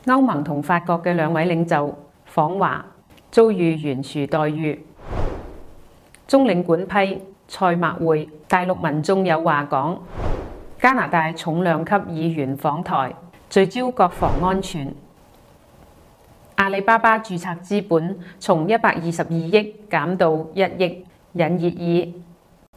歐盟同法國嘅兩位領袖訪華，遭遇懸殊待遇。中領館批賽馬會，大陸民眾有話講。加拿大重量級議員訪台，聚焦國防安全。阿里巴巴註冊資本從122億減到1億，引熱議。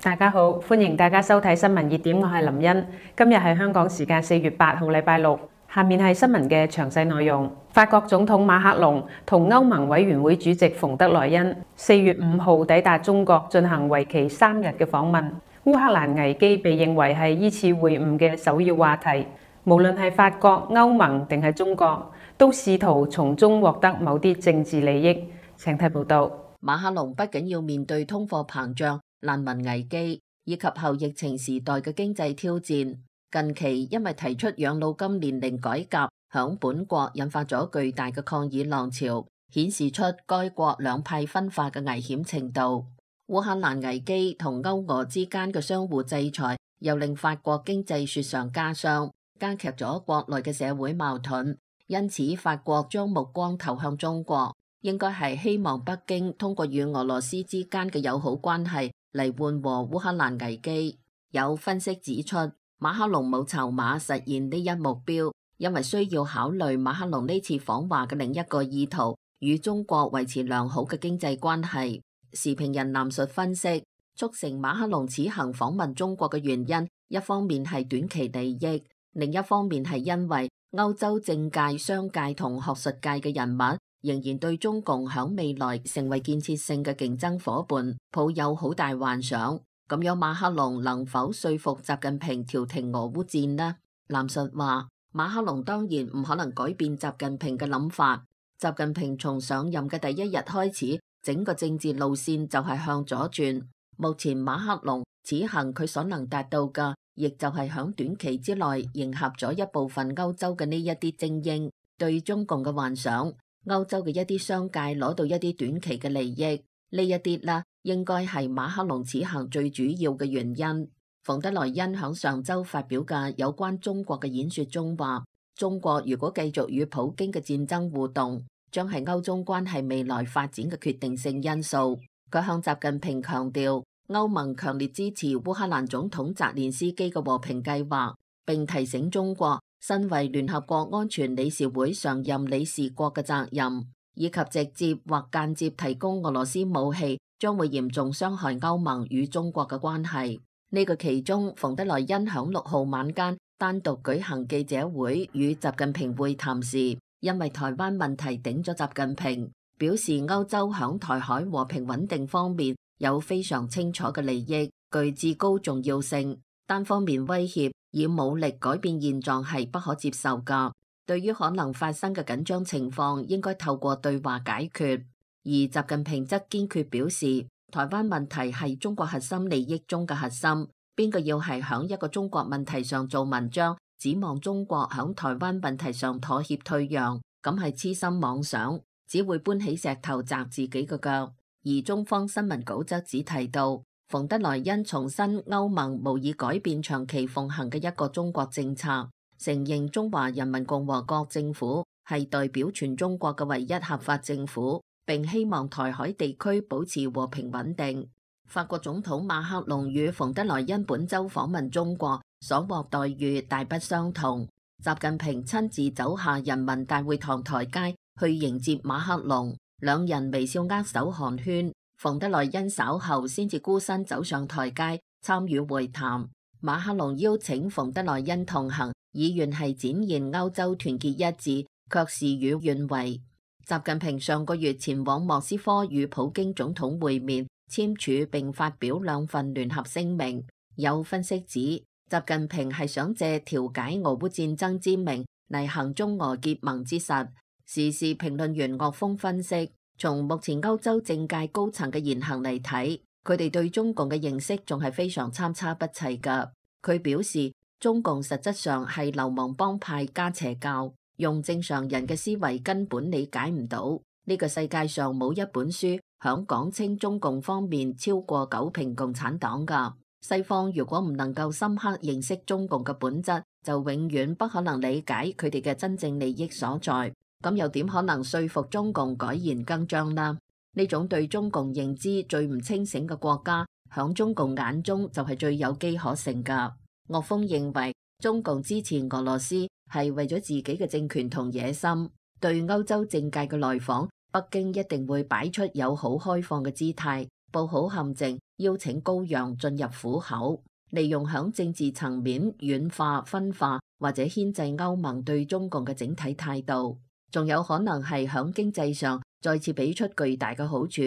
大家好，歡迎大家收睇新聞熱點，我係林茵。今日係香港時間4月8號禮拜六。下面係新聞嘅詳細內容。法國總統馬克龍同歐盟委員會主席馮德萊恩4月5號抵達中國，進行為期3日嘅訪問。烏克蘭危機被認為係依次會晤嘅首要話題。無論係法國、歐盟定係中國，都試圖從中獲得某啲政治利益。請睇報道。馬克龍不僅要面對通貨膨脹、難民危機以及後疫情時代嘅經濟挑戰。近期因為提出養老金年齡改革，響本國引發咗巨大嘅抗議浪潮，顯示出該國兩派分化嘅危險程度。烏克蘭危機同歐俄之間嘅相互制裁，又令法國經濟雪上加霜，加劇咗國內嘅社會矛盾。因此，法國將目光投向中國，應該係希望北京通過與俄羅斯之間嘅友好關係嚟緩和烏克蘭危機。有分析指出，馬克龍冇籌碼實現呢一目標，因為需要考慮馬克龍呢次訪華嘅另一個意圖，與中國維持良好嘅經濟關係。時評人藍述分析，促成馬克龍此行訪問中國嘅原因，一方面係短期利益，另一方面係因為歐洲政界、商界同學術界嘅人物仍然對中共響未來成為建設性嘅競爭夥伴抱有好大幻想。咁樣馬克龍能否說服習近平調停俄烏戰呢？藍述話，馬克龍當然唔可能改變習近平嘅諗法。習近平從上任嘅第一日開始，整個政治路線就係向左轉。目前馬克龍此行佢所能達到嘅，亦就係響短期之內迎合咗一部分歐洲嘅呢一啲精英對中共嘅幻想。歐洲嘅一啲商界攞到一啲短期嘅利益，呢一啲啦，應該係馬克龍此行最主要嘅原因。馮德萊恩響上周發表嘅有關中國嘅演說中話，中國如果繼續與普京嘅戰爭互動，將係歐中關係未來發展嘅決定性因素。佢向習近平強調，歐盟強烈支持烏克蘭總統澤連斯基嘅和平計劃，並提醒中國身為聯合國安全理事會常任理事國嘅責任，以及直接或間接提供俄羅斯武器，將會嚴重傷害歐盟與中國嘅關係。呢個其中，馮德萊恩響6號晚間單獨舉行記者會與習近平會談時，因為台灣問題頂咗習近平，表示歐洲響台海和平穩定方面有非常清楚嘅利益，具至高重要性。單方面威脅以武力改變現狀係不可接受㗎。對於可能發生嘅緊張情況，應該透過對話解決。而習近平則堅決表示，台灣問題係中國核心利益中嘅核心，邊個要係響一個中國問題上做文章，指望中國響台灣問題上妥協退讓，咁係痴心妄想，只會搬起石頭砸自己嘅腳。而中方新聞稿則只提到，馮德萊恩重申歐盟無意改變長期奉行嘅一個中國政策，承認中華人民共和國政府係代表全中國嘅唯一合法政府，並希望台海地區保持和平穩定。法國總統馬克龍與馮德萊恩本周訪問中國所獲待遇大不相同。習近平親自走下人民大會堂台階去迎接馬克龍，兩人微笑握手寒暄。馮德萊恩稍後先至孤身走上台階參與會談。馬克龍邀請馮德萊恩同行，以願係展現歐洲團結一致，卻事與願違。習近平上個月前往莫斯科與普京總統會面，簽署並發表2份聯合聲明。有分析指，習近平係想借調解俄烏戰爭之名嚟行中俄結盟之實。時事評論員岳峰分析，從目前歐洲政界高層嘅言行嚟睇，佢哋對中共嘅認識仲係非常參差不齊㗎。佢表示，中共實質上係流氓幫派加邪教，用正常人嘅思維根本理解唔到。呢個世界上冇一本書響講清中共方面超過9評共產黨㗎。西方如果唔能夠深刻認識中共嘅本質，就永遠不可能理解佢哋嘅真正利益所在。咁又點可能說服中共改弦更張呢？呢種對中共認知最唔清醒嘅國家，響中共眼中就係最有機可乘㗎。岳峰認為，中共支持俄羅斯係為咗自己嘅政權同野心。對歐洲政界嘅來訪，北京一定會擺出友好開放嘅姿態，佈好陷阱，邀請高陽進入虎口，利用響政治層面軟化、分化或者牽制歐盟對中共嘅整體態度，仲有可能係響經濟上再次俾出巨大嘅好處，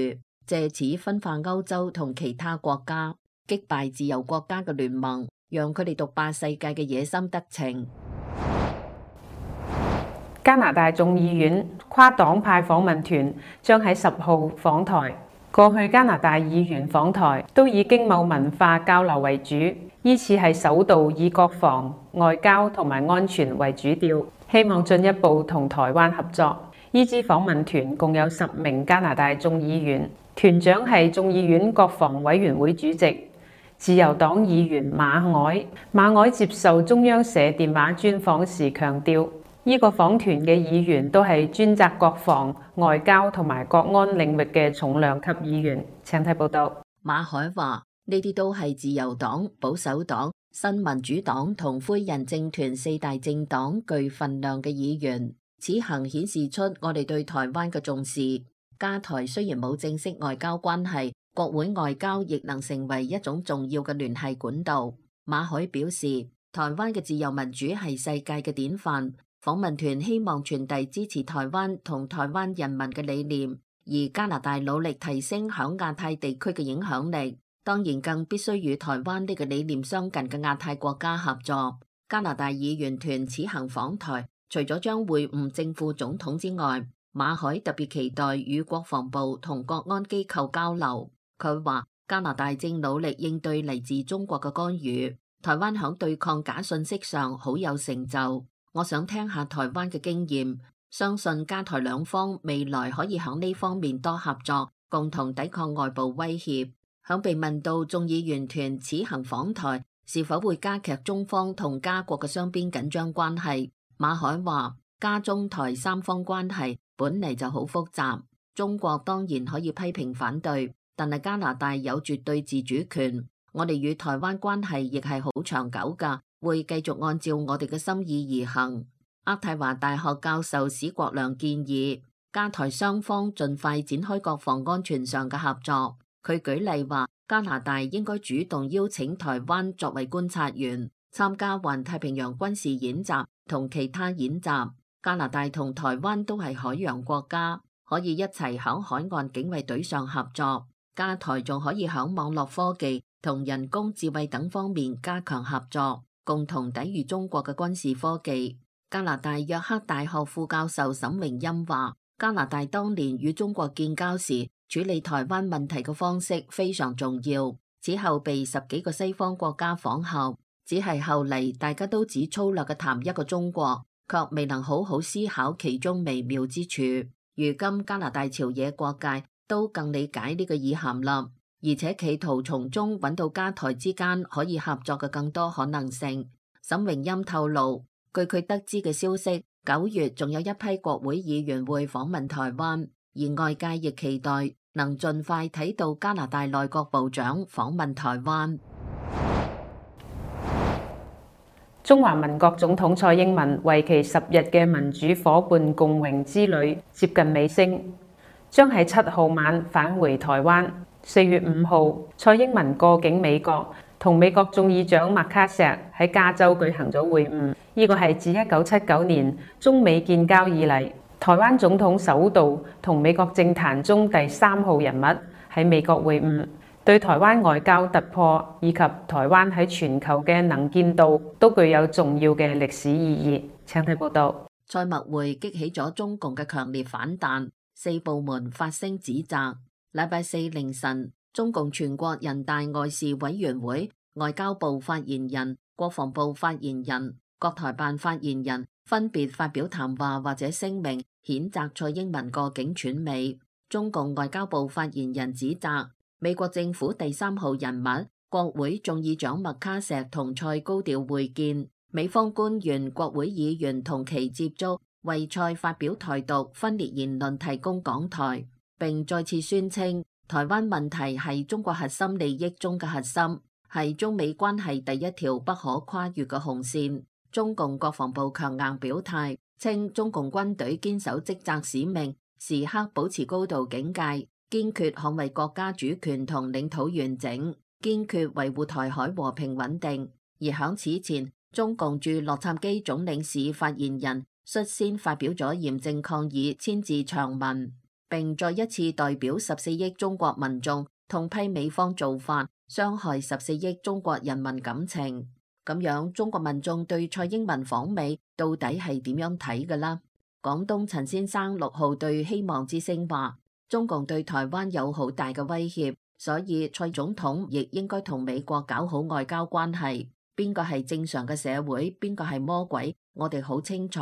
借此分化歐洲同其他國家，擊敗自由國家嘅聯盟，讓佢哋獨霸世界嘅野心得逞。加拿大眾議院跨黨派訪問團將喺10號訪台。過去加拿大議員訪台都以經貿文化交流為主，依次係首度以國防、外交同埋安全為主調，希望進一步同台灣合作。依支訪問團共有10名加拿大眾議員，團長係眾議院國防委員會主席、自由黨議員馬凱。馬凱接受中央社電話專訪時強調，呢個訪團嘅議員都係專責國防、外交同埋國安領域嘅重量級議員。請睇報道。馬凱話：呢啲都係自由黨、保守黨、新民主黨同灰人政團4大政黨具份量嘅議員。此行顯示出我哋對台灣嘅重視。加台雖然冇正式外交關係，國會外交亦能成為一種重要嘅聯繫管道。馬凱表示，台灣嘅自由民主係世界嘅典範。訪問團希望傳遞支持台灣同台灣人民嘅理念，而加拿大努力提升響亞太地區嘅影響力，當然更必須與台灣呢個理念相近嘅亞太國家合作。加拿大議員團此行訪台，除咗將會晤正副總統之外，馬凱特別期待與國防部同國安機構交流。佢話加拿大正努力應對嚟自中國嘅干預，台灣響對抗假信息上好有成就。我想聽下台灣嘅經驗，相信加台兩方未來可以響呢方面多合作，共同抵抗外部威脅。響被問到眾議員團此行訪台是否會加劇中方同加國嘅雙邊緊張關係，馬凱話：加中台三方關係本嚟就好複雜，中國當然可以批評反對，但係加拿大有絕對自主權，我哋與台灣關係亦係好長久㗎。會繼續按照我哋嘅心意而行。渥太華大學教授史國良建議，加台雙方盡快展開國防安全上嘅合作。佢舉例話，加拿大應該主動邀請台灣作為觀察員，參加環太平洋軍事演習同其他演習。加拿大同台灣都係海洋國家，可以一齊響海岸警衛隊上合作。加台仲可以響網絡科技同人工智慧等方面加強合作，共同抵禦中國嘅軍事科技。加拿大約克大學副教授沈榮欽話，加拿大當年與中國建交時處理台灣問題嘅方式非常重要，此後被10幾個西方國家仿效，只係後嚟大家都只粗略嘅談一個中國，卻未能好好思考其中微妙之處。如今加拿大朝野各界都更理解呢個意涵啦，而且企圖從中揾到加台之間可以合作嘅更多可能性。沈榮欽透露，據佢得知嘅消息，9月仲有一批國會議員會訪問台灣，而外界亦期待能盡快睇到加拿大內閣部長訪問台灣。中華民國總統蔡英文為期10日嘅民主夥伴共榮之旅接近尾聲，將喺7號晚返回台灣。4月5號，蔡英文過境美國，同美國眾議長麥卡錫喺加州舉行咗會晤。呢個係自1979年中美建交以嚟，台灣總統首度同美國政壇中第3號人物喺美國會晤，對台灣外交突破以及台灣喺全球嘅能見度都具有重要嘅歷史意義。請睇報道。蔡麥會激起咗中共嘅強烈反彈，4部門發聲指責。禮拜四凌晨，中共全國人大外事委員會、外交部發言人、國防部發言人、國台辦發言人分別發表談話或者聲明，譴責蔡英文過境竄美。中共外交部發言人指責美國政府第3號人物、國會眾議長麥卡錫同蔡高調會見，美方官員、國會議員同其接觸，為蔡發表台獨分裂言論提供講台，並再次宣稱台灣問題係中國核心利益中嘅核心，係中美關係第一條不可跨越嘅紅線。中共國防部強硬表態，稱中共軍隊堅守職責使命，時刻保持高度警戒，堅決捍衛國家主權同領土完整，堅決維護台海和平穩定。而響此前，中共駐洛杉磯總領事發言人率先發表咗嚴正抗議千字長文，並再一次代表14億中國民眾痛批美方做法，傷害14億中國人民感情。咁樣，中國民眾對蔡英文訪美到底係點樣睇㗎啦？廣東陳先生6號對希望之聲話，中共對台灣有好大嘅威脅，所以蔡總統亦應該同美國搞好外交關係。邊個係正常嘅社會，邊個係魔鬼，我哋好清楚。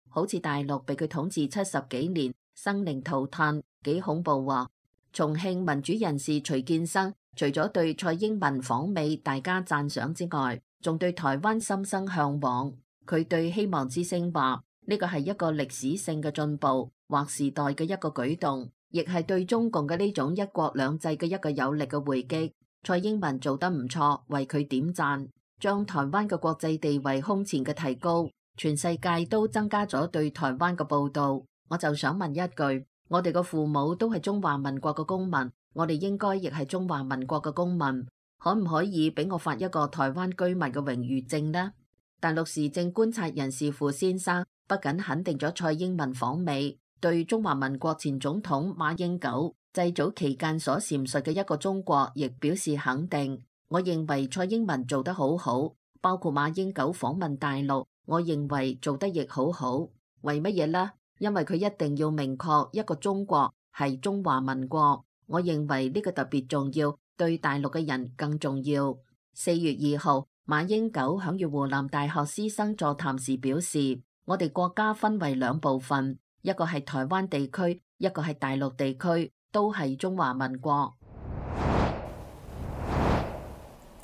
好似大陸被佢統治70幾年，生靈塗炭，幾恐怖喎。重慶民主人士徐建生除咗對蔡英文訪美大家讚賞之外，仲對台灣心生向往。佢對希望之聲話，呢個係一個歷史性嘅進步，劃時代嘅一個舉動，亦係對中共嘅呢種一國兩制嘅一個有力嘅回擊。蔡英文做得唔錯，為佢點讚，將台灣嘅國際地位空前嘅提高，全世界都增加咗對台灣嘅報道。我就想問一句，我哋嘅父母都係中華民國嘅公民，我哋應該亦係中華民國嘅公民。可唔可以俾我發一個台灣居民嘅榮譽證呢？大陸時政觀察人士傅先生不僅肯定咗蔡英文訪美，對中華民國前總統馬英九祭祖期間所闡述嘅一個中國亦表示肯定。我認為蔡英文做得好好，包括馬英九訪問大陸，我認為做得亦好好。為乜嘢呢？因為佢一定要明確一個中國係中華民國，我認為呢個特別重要。對大陸嘅人更重要。4月2號，馬英九響與湖南大學師生座談時表示，我哋國家分為2部分，一個係台灣地區，一個係大陸地區，都係中華民國。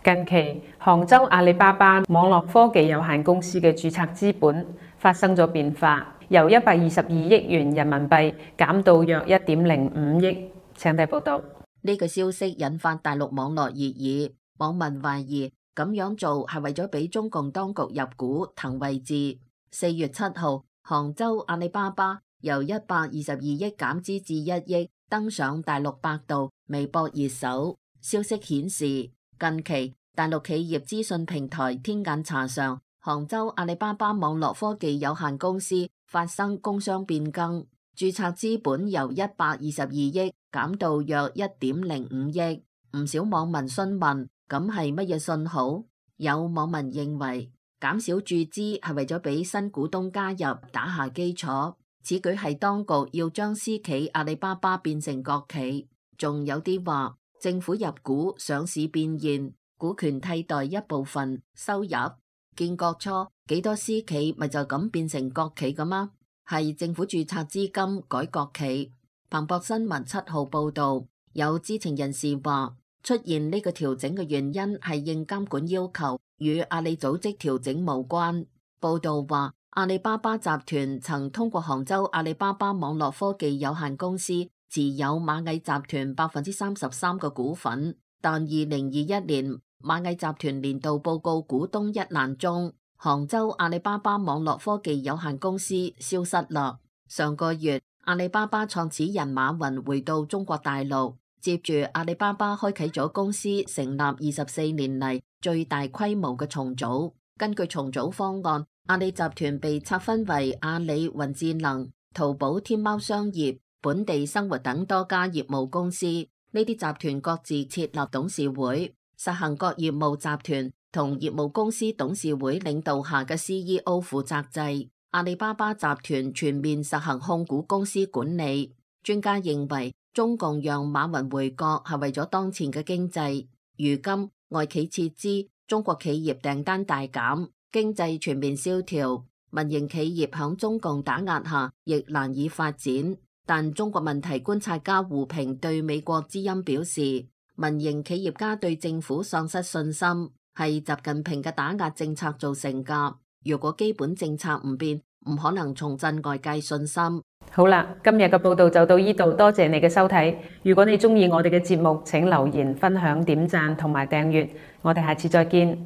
近期，杭州阿里巴巴網絡科技有限公司嘅註冊資本發生咗變化，由122億元人民幣減到約1.05億。請睇報道。呢個消息引發大陸網絡熱議，網民懷疑咁樣做係為咗俾中共當局入股騰位置。4月7號，杭州阿里巴巴由122億減資至1億，登上大陸百度、微博熱搜。消息顯示，近期大陸企業資訊平台天眼查上，杭州阿里巴巴網絡科技有限公司發生工商變更，註冊資本由122億減到約1.05億。唔少網民詢問，咁係乜嘢信號？有網民認為減少注資係為咗俾新股東加入打下基礎，此舉係當局要將私企阿里巴巴變成國企。仲有啲話政府入股上市變現，股權替代一部分收入。建國初幾多私企咪就咁變成國企㗎嗎？係政府註冊資金改國企。彭博新聞7號報道，有知情人士話，出現呢個調整嘅原因係應監管要求，與阿里組織調整無關。報道話，阿里巴巴集團曾通過杭州阿里巴巴網絡科技有限公司持有螞蟻集團33%嘅股份，但2021年螞蟻集團年度報告股東一欄中，杭州阿里巴巴網絡科技有限公司消失啦。上個月，阿里巴巴創始人馬雲回到中國大陸，接住阿里巴巴開啟咗公司成立24年嚟最大規模嘅重組。根據重組方案，阿里集團被拆分為阿里雲智能、淘寶、天貓商業、本地生活等多家業務公司。呢啲集團各自設立董事會，實行各業務集團同業務公司董事會領導下嘅 CEO 負責制。阿里巴巴集團全面實行控股公司管理。專家認為，中共讓馬雲回國係為咗當前嘅經濟。如今外企撤資，中國企業訂單大減，經濟全面蕭條，民營企業響中共打壓下亦難以發展。但中國問題觀察家胡平對美國之音表示，民營企業家對政府喪失信心，係習近平嘅打壓政策造成㗎。如果基本政策唔變，唔可能重振外界信心。好啦，今日嘅報道就到呢度，多謝你嘅收睇。如果你中意我哋嘅節目，請留言、分享、點讚同埋訂閱。我哋下次再見。